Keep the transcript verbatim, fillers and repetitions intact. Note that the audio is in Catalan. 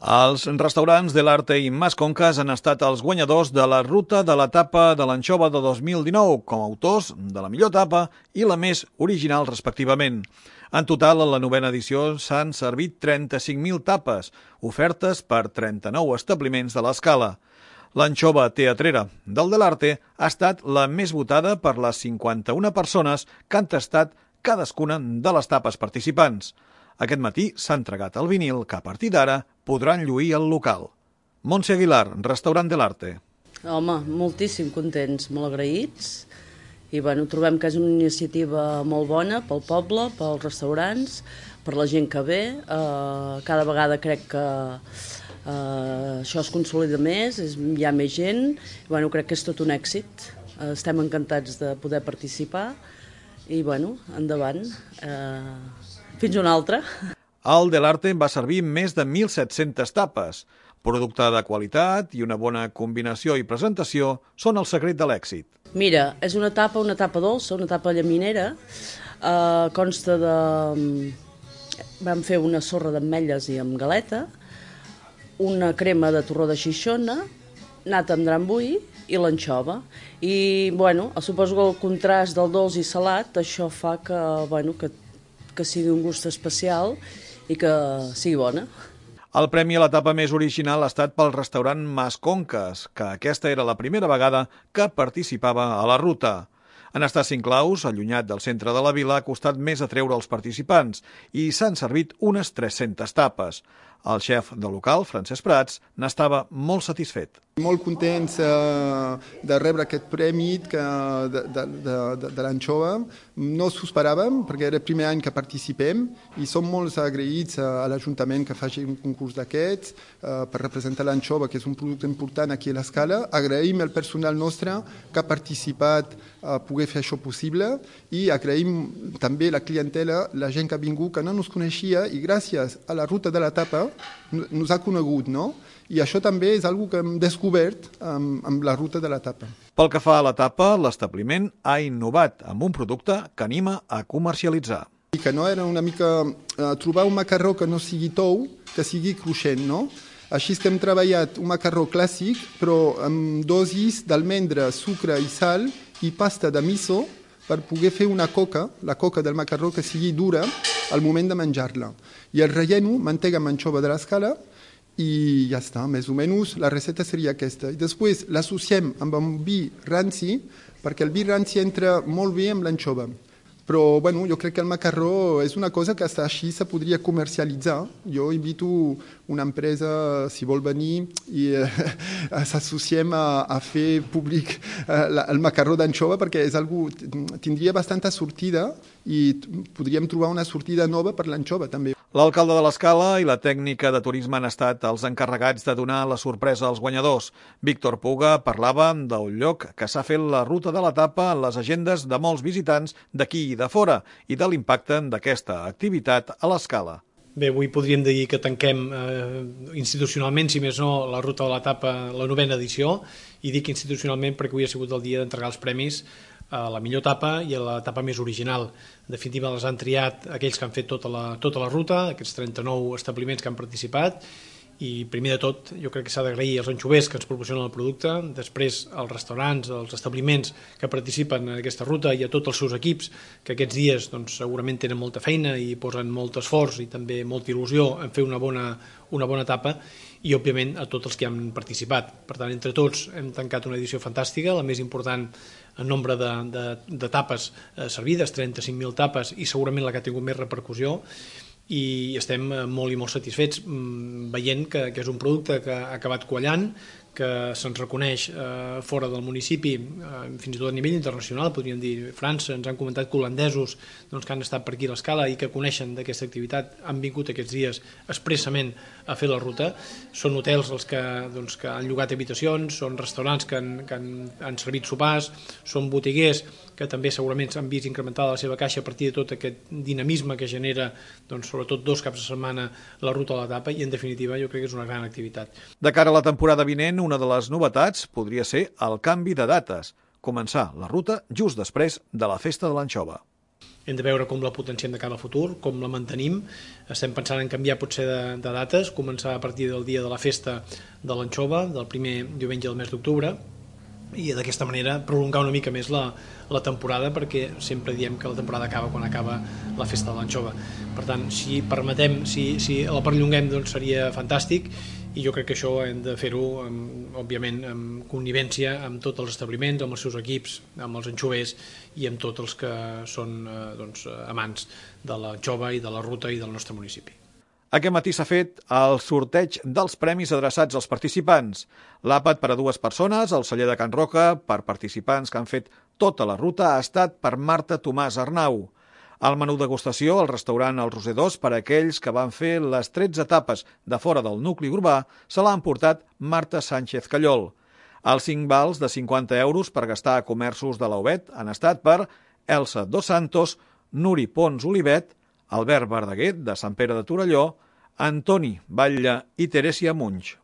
Els restaurants de l'Arte i Mas Conques han estat els guanyadors de la ruta de l'etapa de l'anxova de dos mil dinou, com a autors de la millor etapa i la més original, respectivament. En total, a la novena edició s'han servit trenta-cinc mil tapes, ofertes per trenta-nou establiments de l'escala. L'anxova teatrera del de l'Arte ha estat la més votada per les cinquanta-una persones que han tastat cadascuna de les tapes participants. Aquest matí s'ha entregat el vinil que a partir d'ara podran lluir al local. Montse Aguilar, restaurant de l'Arte. Home, moltíssim contents, molt agraïts. I bueno, trobem que és una iniciativa molt bona pel poble, pels restaurants, per la gent que ve. Eh, cada vegada crec que eh, això es consolida més, és, hi ha més gent. I bueno, crec que és tot un èxit. Eh, estem encantats de poder participar. I bueno, endavant. Eh, Fins una altra. El de l'Arte va servir més de mil set-centes tapes. Producte de qualitat i una bona combinació i presentació són el secret de l'èxit. Mira, és una tapa, una tapa dolça, una tapa llaminera. Eh, consta de... Vam fer una sorra d'ametlles i amb galeta, una crema de torró de xixona, nata amb drambull i l'anxova. I, bueno, suposo que el contrast del dolç i salat, això fa que, bueno, que que sigui un gust especial i que sigui bona. El premi a l'etapa més original ha estat pel restaurant Mas Conques, que aquesta era la primera vegada que participava a la ruta. En estar cinc claus, allunyat del centre de la vila, ha costat més atreure els participants i s'han servit unes tres-centes tapes. El xef del local, Francesc Prats, n'estava molt satisfet. Molt contents eh, de rebre aquest premi que, de, de, de, de, de l'anxova. No s'ho esperàvem, perquè era el primer any que participem i som molt agraïts a, a l'Ajuntament que faci un concurs d'aquests eh, per representar l'anxova, que és un producte important aquí a l'Escala. Agraïm al personal nostre que ha participat a poder fer això possible i agraïm també la clientela, la gent que ha vingut, que no ens coneixia i gràcies a la ruta de l'etapa ens ha conegut, no? I això també és una que hem descobert amb, amb la ruta de l'etapa. Pel que fa a l'etapa, l'establiment ha innovat amb un producte que anima a comercialitzar. I que no era una mica uh, trobar un macarró que no sigui tou, que sigui cruixent, no? Així que hem treballat un macarró clàssic, però amb dosis d'almendra, sucre i sal i pasta de miso per poder fer una coca, la coca del macarró, que sigui dura al moment de menjar-la. I el relleno, mantega amb anxova de l'Escala, i ja està, més o menys la recepta seria aquesta. I després l'associem amb un vi ranci, perquè el vi ranci entra molt bé amb l'anxova. Però bueno, jo crec que el macarró és una cosa que està així se podria comercialitzar. Jo invito una empresa, si vol venir, i eh, s'associem a, a fer públic eh, la, el macarró d'anxova, perquè és algú, tindria bastanta sortida i podríem trobar una sortida nova per l'anxova també. L'alcalde de l'Escala i la tècnica de turisme han estat els encarregats de donar la sorpresa als guanyadors. Víctor Puga parlava del lloc que s'ha fet la ruta de l'etapa en les agendes de molts visitants d'aquí i de fora i de l'impacte d'aquesta activitat a l'Escala. Bé, avui podríem dir que tanquem eh, institucionalment, si més no, la ruta de l'etapa, la novena edició, i dic institucionalment perquè avui ha sigut el dia d'entregar els premis a la millor etapa i a l'etapa més original. En definitiva, les han triat aquells que han fet tota la, tota la ruta, aquests trenta-nou establiments que han participat, i primer de tot jo crec que s'ha d'agrair als anxovers que ens proporcionen el producte, després als restaurants, als establiments que participen en aquesta ruta i a tots els seus equips que aquests dies doncs, segurament tenen molta feina i posen molt esforç i també molta il·lusió en fer una bona, una bona etapa, i òbviament a tots els que han participat. Per tant, entre tots hem tancat una edició fantàstica, la més important en nombre de, de, de tapes eh, servides, trenta-cinc mil tapes, i segurament la que ha tingut més repercussió, i estem molt i molt satisfets veient que, que és un producte que ha acabat quallant, que se'ns reconeix eh, fora del municipi, eh, fins i tot a nivell internacional, podríem dir França, ens han comentat que holandesos doncs, que han estat per aquí a l'Escala i que coneixen d'aquesta activitat, han vingut aquests dies expressament a fer la ruta. Són hotels els que, doncs, que han llogat habitacions, són restaurants que han, que han, han servit sopars, són botiguers que també segurament s'han vist incrementada la seva caixa a partir de tot aquest dinamisme que genera, doncs, sobretot dos caps de setmana, la ruta de l'etapa, i en definitiva jo crec que és una gran activitat. De cara a la temporada vinent, una de les novetats podria ser el canvi de dates, començar la ruta just després de la festa de l'anxova. hem de veure com la potenciem de cara al futur, com la mantenim. Estem pensant en canviar potser de, de dates, començar a partir del dia de la festa de l'anxova, del primer diumenge del mes d'octubre, i d'aquesta manera prolongar una mica més la, la temporada, perquè sempre diem que la temporada acaba quan acaba la festa de l'anxova. Per tant, si permetem, si, si la perllonguem, doncs seria fantàstic, i jo crec que això hem de fer-ho, òbviament, amb connivència amb tots els establiments, amb els seus equips, amb els anxovers i amb tots els que són eh, doncs, amants de l'anxova i de la ruta i del nostre municipi. Aquest matí s'ha fet el sorteig dels premis adreçats als participants. L'àpat per a dues persones, al celler de Can Roca, per participants que han fet tota la ruta, ha estat per Marta Tomàs Arnau. El menú degustació al restaurant El Roser dos per a aquells que van fer les tretze etapes de fora del nucli urbà se l'ha emportat Marta Sánchez Callol. Els cinc vals de cinquanta euros per gastar a comerços de l'Aubet han estat per Elsa Dos Santos, Nuri Pons Olivet, Albert Verdaguer, de Sant Pere de Torelló, Antoni Batlle i Terèsia Munch.